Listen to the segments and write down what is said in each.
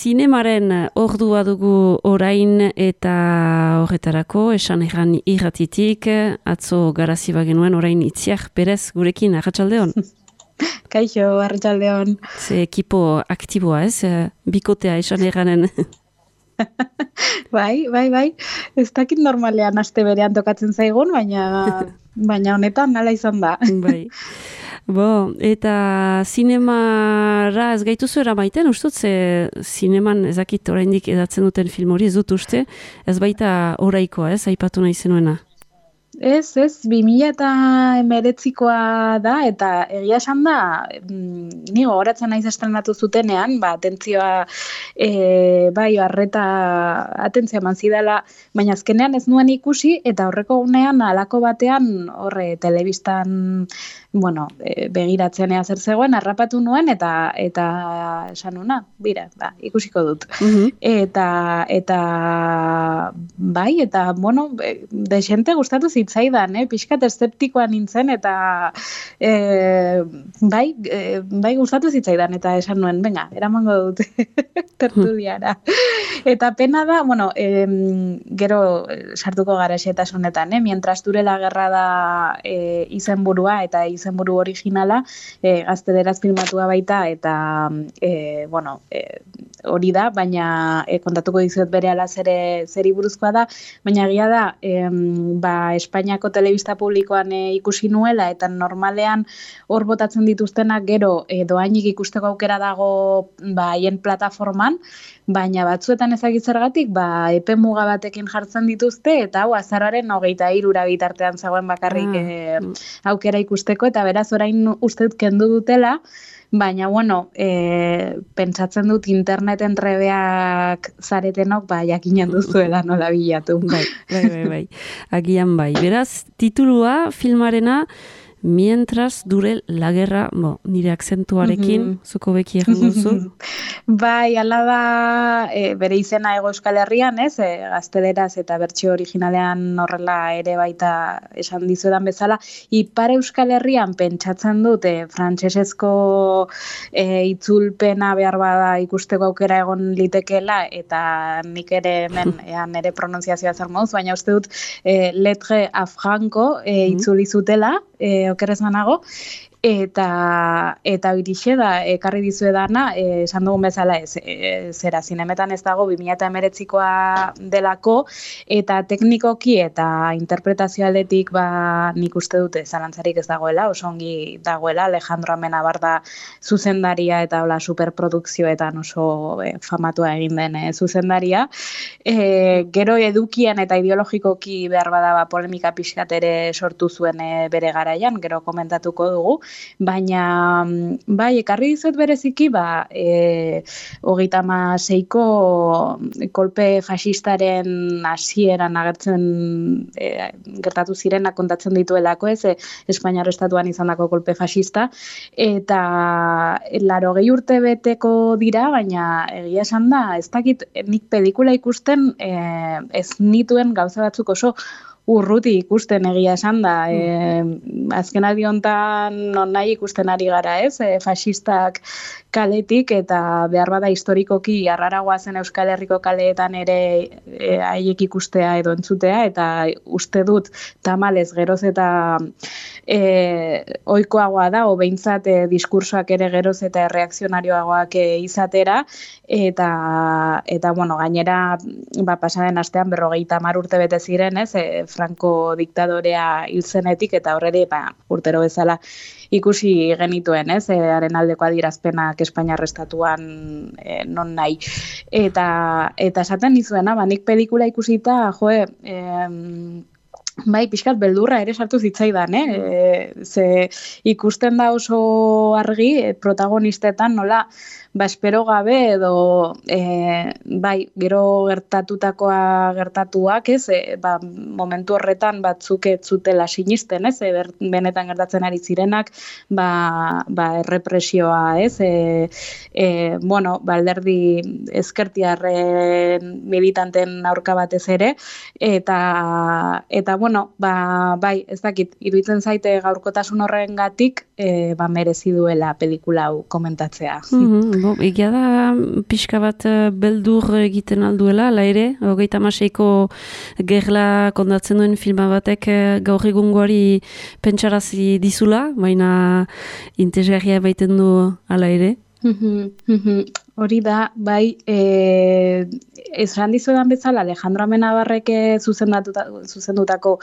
Zinemaren ordua dugu orain eta horretarako, esan erran irratitik, atzo garazi bagenuen orain Itziar Perez gurekin, arratsaldeon. Kaixo, arratsaldeon. Ze ekipo aktiboa ez, bikotea esan erranen. Bai. Ez dakit normalean aste berean tokatzen zaigun, baina honetan nala izan da. Bai. Eta zinemara ez gaituzu eramaiten, ustut, ze zineman ezakit oraindik edatzen duten film hori ez dut uste, ez baita oraikoa, ez, aipatu nahi zenuena. Ez, 2019koa da, eta egia esan da, ni gogoratzen naiz estrenatu zutenean, atentzioa, bai, arreta atentzioa eman zidala, baina azkenean ez nuen ikusi, eta horreko gunean, halako batean, horre, telebistan, begiratzen zer zegoen, harrapatu nuen, eta esan nuna, bira, ikusiko dut. Eta desente gustatu zitzaidan, pixkat eszeptikoa nintzen, eta bai gustatu zitzaidan, eta esan nuen, venga, eramango dut tertuliara. Eta pena da, gero sartuko gara xetasunetan, mientras dure la guerra da izenburua, eta izenburu originala, gazteleraz filmatua baita, eta hori da, baina kontatuko dizuet berehala zeri buruzkoa da, baina egia da, Espainiako telebista publikoan ikusi nuela, eta normalean hor botatzen dituztenak gero doainik ikusteko aukera dago haien plataforman, baina batzuetan ezagitzergatik epe muga batekin jartzen dituzte, eta hau azararen 23 bitartean zegoen bakarrik aukera ikusteko, eta beraz orain uste dut kendu dutela, baina, pentsatzen dut interneten trebeak zaretenok, jakinen duzuela nola bilatu. Bai. Agian bai. Beraz, titulua, filmarena, Mientras dure la guerra, nire akzentuarekin, zuko beki egango zu. Bai, ala da, bere izena Hego Euskal Herrian, gazteleraz eta bertsio originalean horrela ere baita esan dizuedan bezala, Ipar Euskal Herrian pentsatzen dut frantsesezko itzulpena behar bada ikusteko aukera egon litekeela, eta nik ere hemen nire pronunziazioa zer moduz, baina uste dut Lettre a Franco itzuli zutela, okerrez banago, eta horixe da, ekarri dizuedana, esan dugun bezala zera, zinemetan ez dago 2019koa delako, eta teknikoki eta interpretazio aldetik nik uste dute zalantzarik ez dagoela, oso ongi dagoela, Alejandro Amenabarda zuzendaria eta superprodukzioetan oso famatua egin den zuzendaria. Gero edukian eta ideologikoki behar bada polemika pixkat ere sortu zuen bere garaian, gero komentatuko dugu, baina ekarri dizuet bereziki 36ko kolpe fascistaren hasieran agertzen gertatu zirenak kontatzen dituelako, Espainiar estatuan izandako kolpe fascista, eta 80 urte beteko dira, baina egia esan da, ez dakit nik pelikula ikusten ez nituen gauza batzuk oso urruti ikusten egia esan da. Azkenaldi hontan non nahi ikusten ari gara, fascistak kaletik, eta behar bada historikoki arraragoa zen Euskal Herriko kaleetan ere haiek ikustea edo entzutea, eta uste dut tamalez geroz eta ohikoagoa da, behintzat diskursoak ere geroz eta erreakzionarioagoak izatera, eta gainera pasaden astean 50 urte bete ziren, Franco diktadorea hil zenetik, eta horreri urtero bezala ikusi genituen, haren aldeko adierazpenak Espainiar estatuan non nahi. Eta esaten nizuena, nik pelikula ikusita, bai, pixkat beldurra ere sartu zitzaidan, ze ikusten da oso argi protagonistetan nola espero gabe edo gero gertatutakoa gertatuak, momentu horretan batzuk ez zutela sinisten, benetan gertatzen ari zirenak, errepresioa, alderdi ezkertiarren militanten aurka batez ere, eta bai, ez dakit, iruditzen zaite gaurkotasun horrengatik merezi duela pelikula hau komentatzea. Egia da pixka bat beldur egiten alduela, ala ere, 36ko gerla kondatzen duen filma batek gaur egungoari pentsarazi dizula, baina interesgarria baiten du ala ere. Hori da, bai, esan dizuedan bezala Alejandro Amenabarrek zuzendutako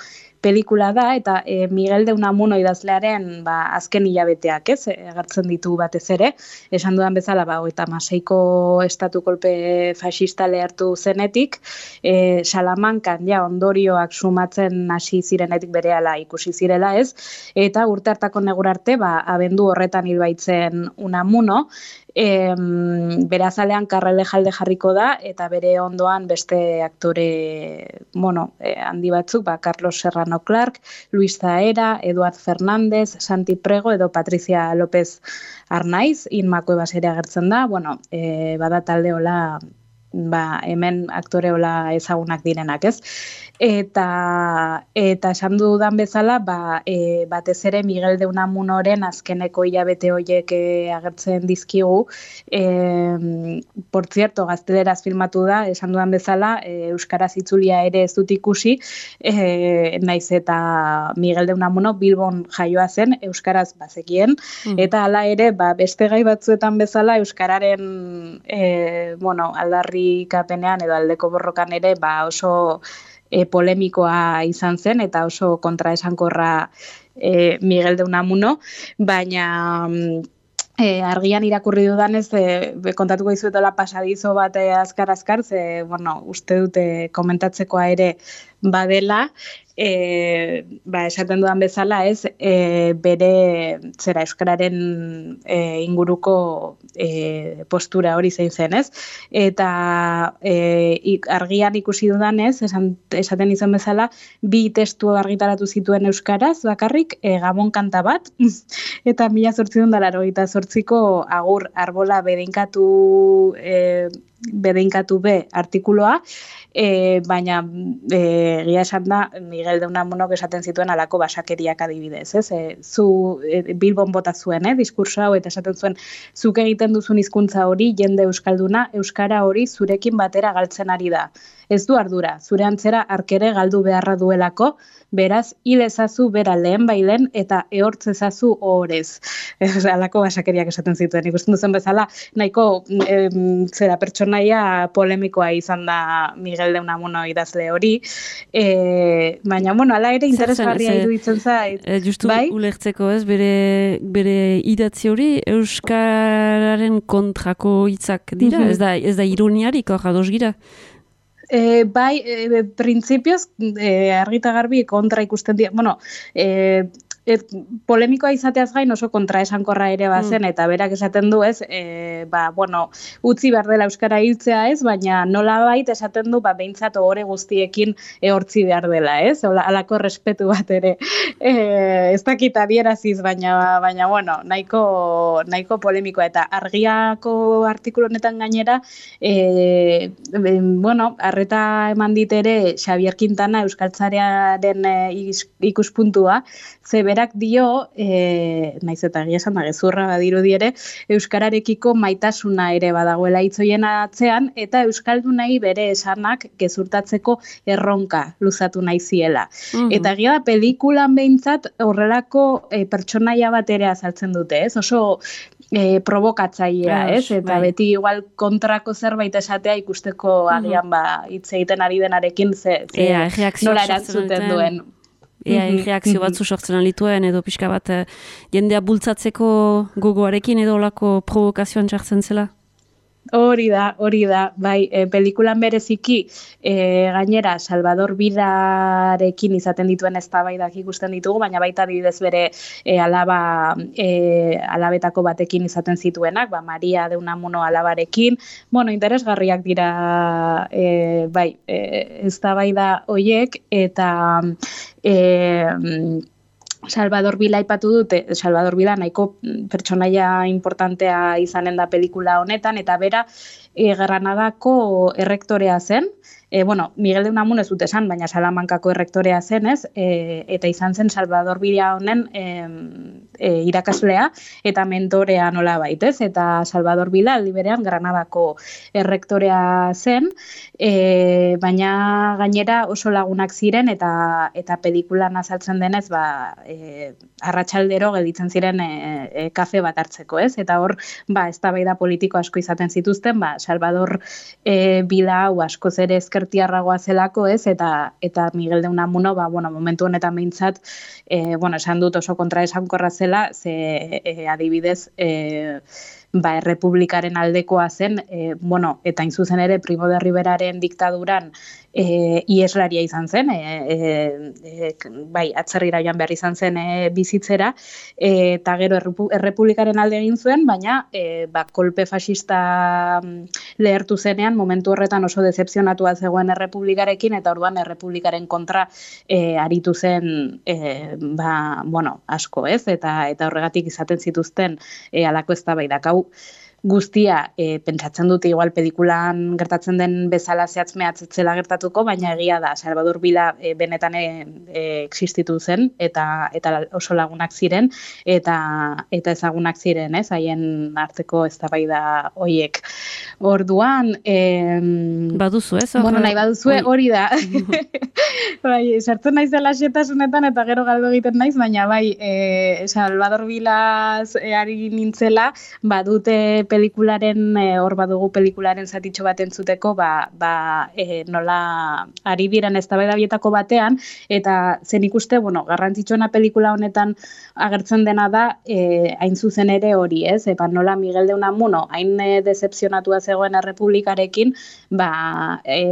pelikula da, eta Miguel de Unamuno idazlearen azken hilabeteak, ez, agertzen ditu batez ere, esan dudan bezala, 36ko estatu kolpe fascista lehertu zenetik, Salamankan ondorioak sumatzen hasi zirenetik berehala ikusi zirela, ez, eta urte hartako negur arte, abendu horretan hil baitzen Unamuno, bere azalean Karrelejalde jarriko da, eta bere ondoan beste aktore handi batzuk, Carlos Serrano Clark, Luis Zahera, Eduard Fernández, Santi Prego edo Patricia López Arnaiz, Inma Cuevas ere agertzen da, bada talde hola, hemen aktore hola ezagunak direnak, ez? Eta esan dudan bezala, batez ere Miguel de Unamunoren azkeneko hilabete horiek agertzen dizkigu. Por cierto, gazteleraz filmatu da, esan dudan bezala, euskaraz itzulia ere ez dut ikusi, naiz eta Miguel de Unamuno Bilbon jaioa zen, euskaraz bazekien, eta hala ere, beste gai batzuetan bezala, euskararen aldarrikapenean edo aldeko borrokan ere, oso polemikoa izan zen, eta oso kontraesankorra Miguel de Unamuno, baina argian irakurri dudanez, kontatuko dizuetela pasadizo bat azkar, uste dute komentatzekoa ere badela, esaten dudan bezala, ez, bere euskararen inguruko postura hori zein zen, ez? Eta argian ikusi dudanez, esaten izan bezala, 2 testu argitaratu zituen euskaraz, bakarrik, Gabon kanta bat, eta 1888ko Agur arbola bedeinkatu be artikuloa, baina egia esan da Miguel de Unamunok esaten zituen alako basakeriak adibidez, ez? Zu Bilbon bota zuen, diskurso hau, eta esaten zuen, zuk egiten duzun hizkuntza hori, jende euskalduna, euskara hori zurekin batera galtzen ari da. Ez du ardura, zure antzera arkere galdu beharra duelako, beraz, hil ezazu bera lehen bailen eta ehortz ezazu ohorez. Alako basakeriak esaten zituen. Ikusten duzen bezala, nahiko pertsonaia polemikoa izan da Miguel de Unamuno idazle hori. Baina, ala ere interesgarria iruditzen zait. Justu ulertzeko, ez, bere idatzi hori euskararen kontrako hitzak dira, ez da ironiarik hor ados gira. Printzipioz, argita garbi kontra ikusten dira, polemikoa izateaz gain oso kontraesankorra ere bazen, eta berak esaten du, ez, utzi behar dela euskara hiltzea, ez, baina nolabait esaten du, behintzat ohore guztiekin ehortzi behar dela, ez, halako respetu bat ere, ez dakit adieraziz, baina nahiko polemikoa, eta argiako artikulu honetan gainera, arreta eman dit ere Xavier Quintana euskaltzarearen ikuspuntua, ze berak dio, naiz eta egia esan da gezurra badirudi ere, euskararekiko maitasuna ere badagoela hitzoien atzean, eta euskaldunei bere esanak gezurtatzeko erronka luzatu nahi ziela. Eta egia da pelikulan behintzat horrelako pertsonaia bat ere azaltzen dute, ez? Oso provokatzailea, ez? Eta beti igual kontrako zerbait esatea ikusteko agian hitz egiten ari denarekin nola erantzuten duen. Reakzio batzu sortzen alituen, edo pixka bat jendea bultzatzeko gogoarekin edo olako provokazioan txartzen zela? Hori da, bai, pelikulan bereziki gainera Salvador Vidarekin izaten dituen eztabaidak ikusten ditugu, baina baita adibidez bere alabetako batekin izaten zituenak, Maria de Unamuno alabarekin, interesgarriak dira eztabaida horiek, eta Salvador Vila aipatu dute, Salvador Vila nahiko pertsonaia importantea izanen da pelikula honetan, eta bera Granadako errektorea zen, Miguel de Unamuno ez dut esan, baina Salamankako errektorea zenez, eta izan zen Salvador Bila honen irakaslea eta mentorea nola baitez, eta Salvador Bila aldi berean Granadako errektorea zen, baina gainera oso lagunak ziren eta pelikulan azaltzen denez, arratsaldero gelditzen ziren kafe bat hartzeko, ez? Eta hor, eztabaida politiko asko izaten zituzten, Salvador Bila hau askoz ere ezkertiarragoa zelako, ez? Eta Miguel de Unamuno, momentu honetan behintzat, esan dut oso kontraesankorra zela, ze adibidez, errepublikaren aldekoa zen, eta hain zuzen ere Primo de Riveraren diktaduran ieslaria izan zen, atzerrira joan behar izan zen bizitzera, eta gero errepublikaren alde egin zuen, baina kolpe fascista lehertu zenean, momentu horretan oso decepzionatua zegoen errepublikarekin, eta orduan errepublikaren kontra aritu zen asko, ez? Eta horregatik izaten zituzten halako eztabaidak. Hau guztia pentsatzen dute igual pelikulan gertatzen den bezala zehatz mehatzetzela gertatuko, baina egia da, Salvador Bila benetan existitu zen, eta oso lagunak ziren, eta ezagunak ziren, ez, haien arteko eztabaida hoiek. Orduan... Baduzu, ez? Nahi baduzue, hori da. Sartzen naiz dela xetasunetan, eta gero galdu egiten naiz, baina Salvador Bilaz ari nintzela, badute pelikularen, hor badugu pelikularen zatitxo bat entzuteko, nola ari diren eztabaida bietako batean, eta zen ikuste, garrantzitsuena pelikula honetan agertzen dena da, hain zuzen ere hori, ez? Nola Miguel de Unamuno, hain decepzionatua zegoen errepublikarekin,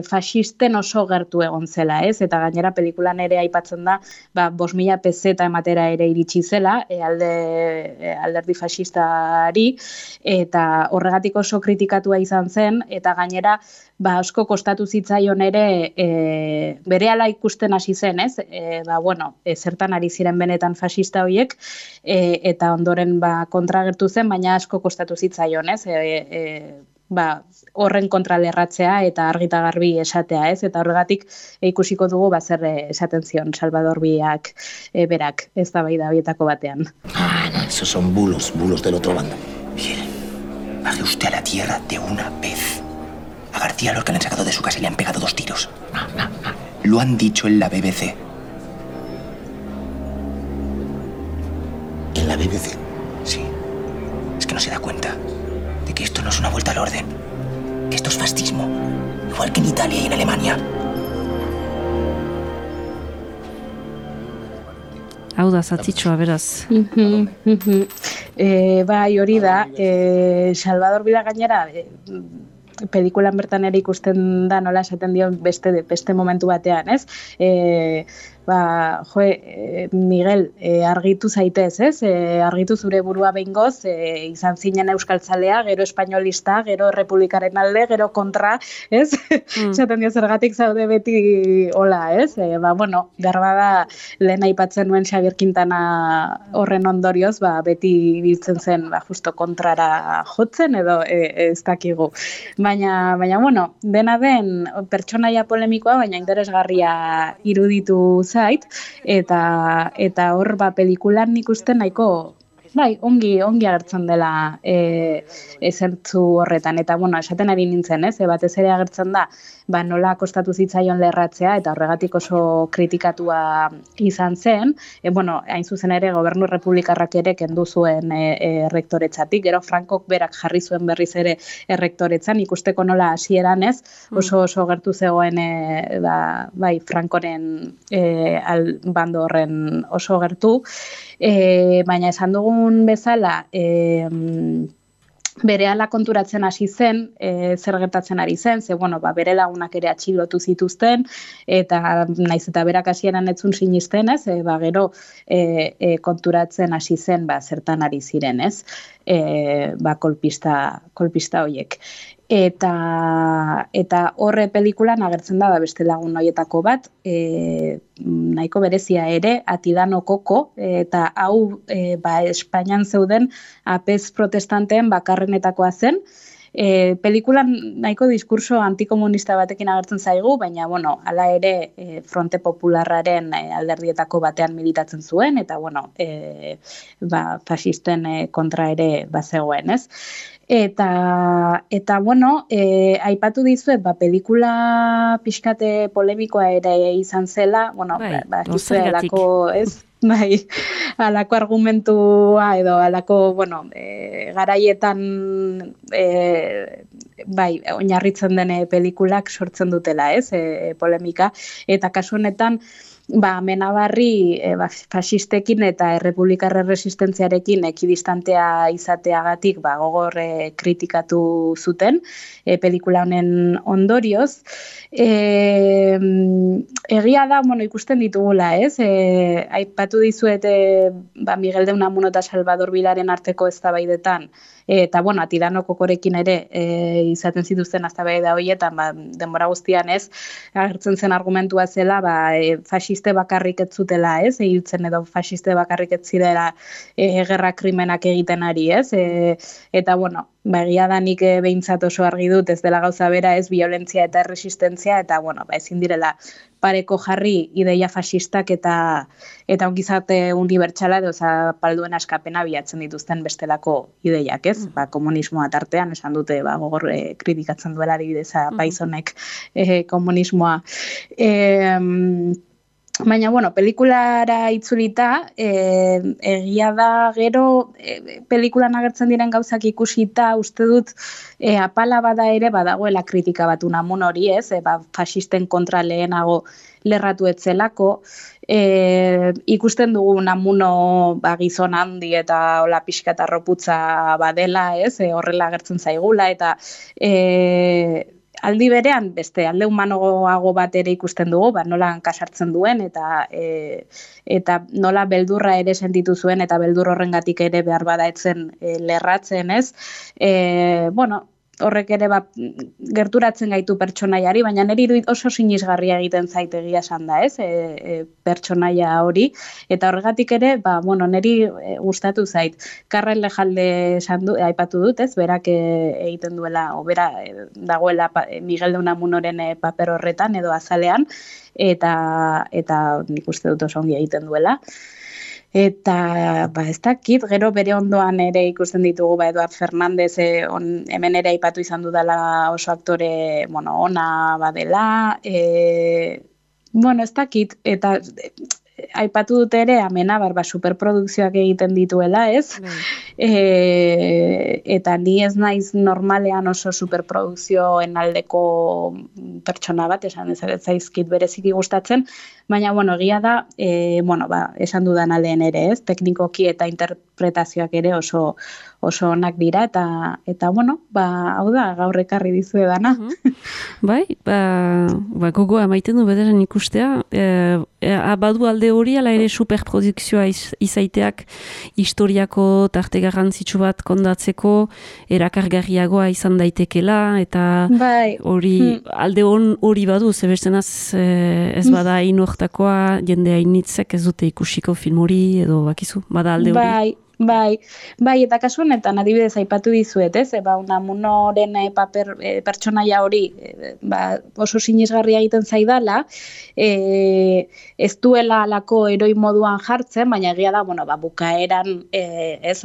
fascisten oso gertu egon zela, ez? Eta gainera pelikulan ere aipatzen da, 5.000 peseta ematera ere iritsi zela, alderdi fascistari, eta horregatik oso kritikatua izan zen, eta gainera asko kostatu zitzaion ere berehala ikusten hasi zen, ez? Zertan ari ziren benetan fascista horiek, eta ondoren kontra agertu zen, baina asko kostatu zitzaion, ez? Horren kontra lerratzea eta argita garbi esatea, ez? Eta horregatik ikusiko dugu zer esaten zion Salvador Biak berak eztabaida horietako batean. No, esos son bulos del otro bando. Bien, baje usted a la tierra de una vez. A García Lorca le han sacado de su casa y le han pegado 2 tiros. Lo han dicho en la BBC. ¿En la BBC? Sí. Es que no se da cuenta de que esto no es una vuelta al orden. Que esto es fascismo. Igual que en Italia y en Alemania. Hau da, zatitxoa, beraz. Hori da, Salvador Bila gainera, pelikulan bertan ere ikusten da nola esaten dio beste momentu batean, ez? Miguel, argitu zaitez, ez? Argitu zure burua behingoz, izan zinen euskaltzalea, gero espainolista, gero republikaren alde, gero kontra, ez? Esaten dio zergatik zaude beti hola, ez? Garbada lehen aipatzen nuen Xabier Quintana horren ondorioz, beti biltzen zen, justo kontrara jotzen, edo ez dakigu. Baina, dena den pertsonaia polemikoa, baina interesgarria iruditu zait, eta hor pelikulan nik uste nahiko ongi agertzen dela ezertzu horretan, eta esaten ari nintzen, ez? Batez ere agertzen da, nola kostatu zitzaion lerratzea, eta horregatik oso kritikatua izan zen, hain zuzen ere gobernu republikarrak ere kendu zuen errektoretzatik, gero Frankok berak jarri zuen berriz ere errektoretzan, ikusteko nola hasieran, ez? Oso gertu zegoen Frankoren bando horren oso gertu, baina esan dugun bezala, berehala konturatzen hasi zen, zer gertatzen ari zen, ze bere lagunak ere atxilotu zituzten, eta naiz eta berak hasieran ez zuen sinisten, ez? Gero konturatzen hasi zen zertan ari ziren, ez? Kolpista horiek. Eta horre pelikulan agertzen da beste lagun horietako bat, nahiko berezia ere, Atilano Koko, eta hau Espainian zeuden apez protestanteen bakarrenetakoa zen, Pelikulan nahiko diskurso antikomunista batekin agertzen zaigu, baina, bueno, hala ere Fronte Popularraren alderdietako batean militatzen zuen, eta, bueno, fasisten kontra ere bazegoen, ez? Eta bueno, aipatu dizuet, pelikula pixkate polemikoa ere izan zela, bueno, alako, ez? Bai, alako argumentua edo alako, bueno, garaietan oinarritzen den pelikulak sortzen dutela, ez? Polemika, eta kasu honetan, Menabarri fasistekin eta errepublikarre resistentziarekin ekidistantea izateagatik gogor kritikatu zuten pelikula honen ondorioz. Egia da, ikusten ditugula, ez? Aipatu dizuet Miguel de Unamuno eta Salvador Vilaren arteko eztabaidetan, eta, bueno, Atirano Kokorekin ere izaten zituzten eztabaida horietan, denbora guztian, ez, agertzen zen argumentua zela, fasiste bakarrik ez zutela, ez, hiltzen edo fasiste bakarrik ez zirela gerra krimenak egiten ari, ez, eta, bueno, egia da nik behintzat oso argi dut, ez dela gauza bera, ez, violentzia eta erresistentzia, eta, bueno, ezin direla pareko jarri ideia fasistak eta ongizate unibertsala edo zapalduen askapena bilatzen dituzten bestelako ideiak, ez? Komunismoa tartean, esan dute, gogor kritikatzen duela adibidez Paizonek komunismoa. Baina, bueno, pelikulara itzulita, egia da gero pelikulan agertzen diren gauzak ikusita, uste dut apala bada ere badagoela kritika bat Unamun hori, ez? Fasisten kontra lehenago lerratu etzelako, ikusten dugu Unamuno gizon handi eta hola pixka eta roputza badela, ez? Horrela agertzen zaigula, eta aldi berean, beste alde humanoago bat ere ikusten dugu, nola kasartzen duen, eta nola beldurra ere sentitu zuen, eta beldur horrengatik ere behar bada etzen lerratzen, ez? Bueno, horrek ere gerturatzen gaitu pertsonaiari, baina niri oso sinisgarria egiten zait egia esan da, ez? Pertsonaia hori, eta horregatik ere, bueno, niri gustatu zait. Karren Lejalde aipatu dut, ez? Berak egiten duela, o bera dagoela Miguel de Unamunoren paper horretan edo azalean, eta nik uste dut oso ongi egiten duela. Eta, ez dakit, gero bere ondoan ere ikusten ditugu, Eduard Fernández, hemen ere aipatu izan dudala oso aktore, bueno, ona badela, bueno, ez dakit, eta aipatu dute ere, Amenabar, superprodukzioak egiten dituela, ez? Eta ni ez naiz normalean oso superprodukzioen aldeko pertsona bat, esan ez zaizkit bereziki gustatzen, baina, bueno, egia da, bueno, esan dudan lehen ere, ez? Teknikoki eta interpretazioak ere oso onak dira, eta bueno, hau da, gaur ekarri dizue dana. Bai, gogoa maiten du bederen ikustea, badu alde hori, ala ere superprodukzioa izaiteak historiako tarte garrantzitsu bat kondatzeko erakargarriagoa izan daitekela, eta hori alde hori badu, zebestenaz ez bada inortakoa, jende hainitzek ez dute ikusiko film hori, edo bakizu, bada alde hori. Bai, eta kasu honetan adibidez aipatu dizuet, ez? Unamunoren pertsonaia hori oso sinisgarria egiten zaidala, ez duela alako heroi moduan jartzen, baina egia da, bueno, bukaeran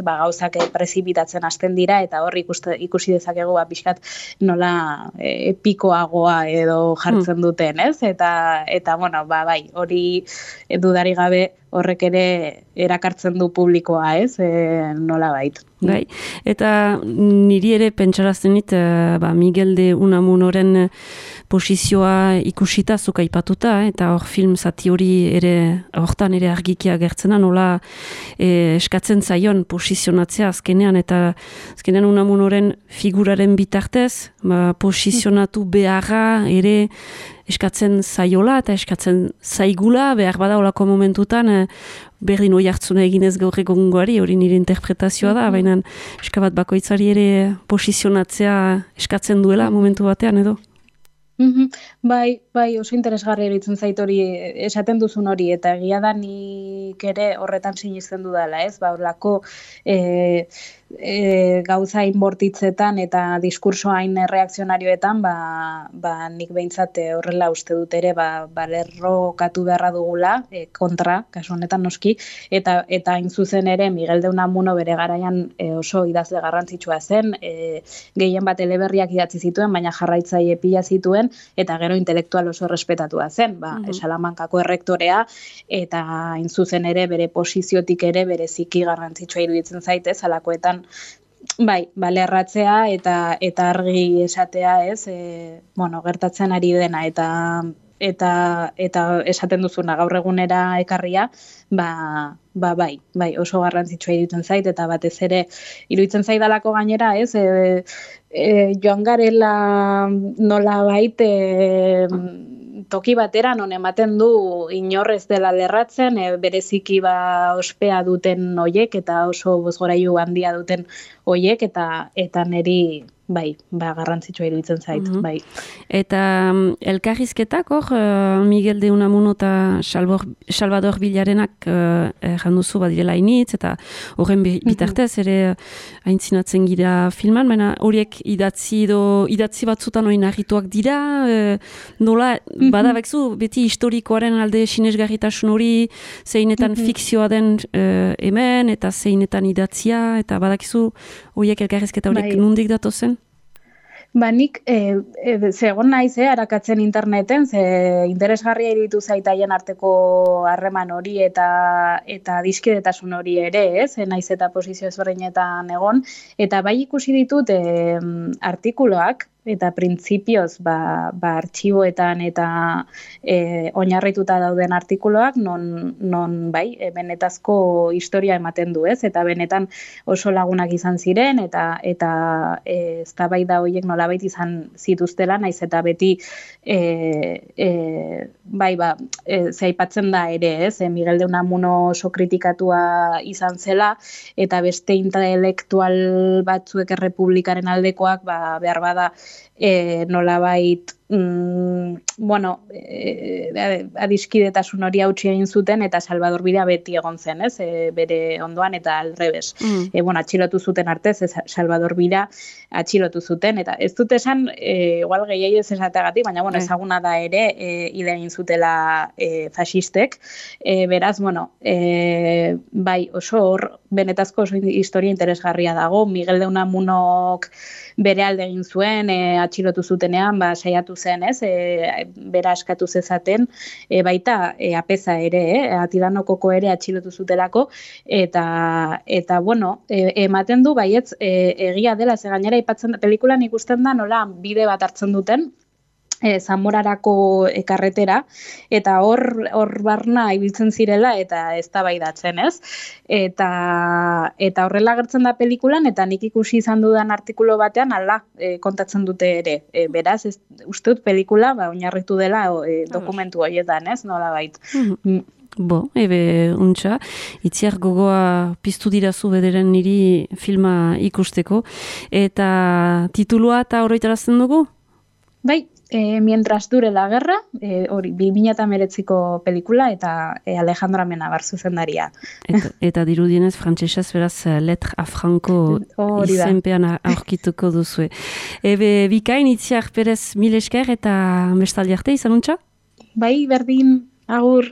gauzak prezipitatzen hasten dira, eta hor ikusi dezakegu pixkat nola epikoagoa edo jartzen duten, ez? Eta bueno, bai, hori dudari gabe horrek ere erakartzen du publikoa, ez? Nola bait. Bai, eta niri ere pentsarazten dit, Miguel de Unamunoren posizioa ikusita zuk aipatuta, eta hor film zati hori ere, hortan ere argikia gertzena, nola eskatzen zaion posizionatzea azkenean, eta azkenean Unamunoren figuraren bitartez, posizionatu beharra ere eskatzen zaiola eta eskatzen zaigula, behar bada olako momentutan, berdin hoi hartzuna eginez gaur egongoari, hori nire interpretazioa da, baina eskabat bakoitzari ere posizionatzea eskatzen duela momentu batean edo? Bai, oso interesgarri eritzen zait hori, esaten duzun hori, eta egia da nik ere horretan sinisten dudala, ez? Horlako gauza inbortitzetan eta diskurso hain reakzionarioetan, nik behintzat horrela uste dut ere, lerrokatu beharra dugula, kontra, kasu honetan noski, eta hain zuzen ere Miguel de Unamuno bere garaian oso idazle garrantzitsua zen, gehien bat eleberriak idatzi zituen, baina jarraitzaile pila zituen, eta gero intelektual oso respetatua zen, Salamankako errektorea, eta hain zuzen ere bere posiziotik ere bereziki garrantzitsua iruditzen zaitez, halakoetan lerratzea eta argi esatea, ez, gertatzen ari dena eta esaten duzuna gaur egunera ekarria, oso garrantzitsua iruditzen zait, eta batez ere iruditzen zaidalako gainera, ez, joan garela nolabait toki batera non ematen du inorrez dela lerratzen, bereziki ospea duten hoiek eta oso bozgorailu handia duten hoiek eta niri garrantzitsua iruditzen zait, bai. Eta elkarrizketak Miguel de Unamuno eta Salvador Villarenak janduzu badirela initz, eta horren bitartez ere aintzinatzen gira filman, baina horiek idatzi batzutan hori narrituak dira, nola, badabekzu, beti historikoaren alde sinesgarritasun hori, zeinetan fikzioa den hemen, eta zeinetan idatzia, eta badakizu horiek elkarrizketa horiek nondik datozen? Nik, zegoen naiz, arakatzen interneten, interesgarria iruditu zaitaien arteko harreman hori eta adiskidetasun hori ere, naiz eta posizio ezberdinetan egon, eta bai ikusi ditut artikuloak, eta printzipioz artxiboetan eta oinarrituta dauden artikuloak non benetazko historia ematen du, eta benetan oso lagunak izan ziren eta eztabaida horiek nolabait izan zituztela, naiz eta beti aipatzen da ere, Miguel de Unamuno oso kritikatua izan zela, eta beste intelektual batzuek errepublikaren aldekoak behar bada nolabait adiskidetasun hori hautsi egin zuten, eta Salvador Bira beti egon zen, bere ondoan, eta aldrebes. Atxilotu zuten artez, Salvador Bira atxilotu zuten, eta ez dut esan, igual gehiago ez esateagatik, baina ezaguna da ere, hile egin zutela fasistek, beraz, oso hor, benetazko oso historia interesgarria dago, Miguel de Unamunok bere alde egin zuen, atxilotu zutenean, saiatu zen, bera askatu zezaten, baita apeza ere, Atidanokoko ere atxilotu zutelako, eta ematen du, baietz, egia dela, ze gainera ipatzen, pelikulan ikusten da, nola bide bat hartzen duten, Zamorarako karretera, eta hor barna ibiltzen zirela, eta eztabaidatzen, eta horrela agertzen da pelikulan, eta nik ikusi izan dudan artikulu batean, kontatzen dute ere, beraz, uste dut pelikula, oinarritu dela dokumentu horietan, nola bait. Untxa, itziar gogoa piztu dirazu bederen niri filma ikusteko, eta titulua eta horretarazten dugu? Bai, Mientras dure la guerra, hori 2019ko pelikula, eta Alejandro Amenabar zuzendaria. Eta dirudienez, frantsesez beraz, Lettre à Franco izenpean aurkituko duzue. Bikain, Itziar Perez, mil esker, eta bestaldi arte, izan untxa? Bai, berdin, agur.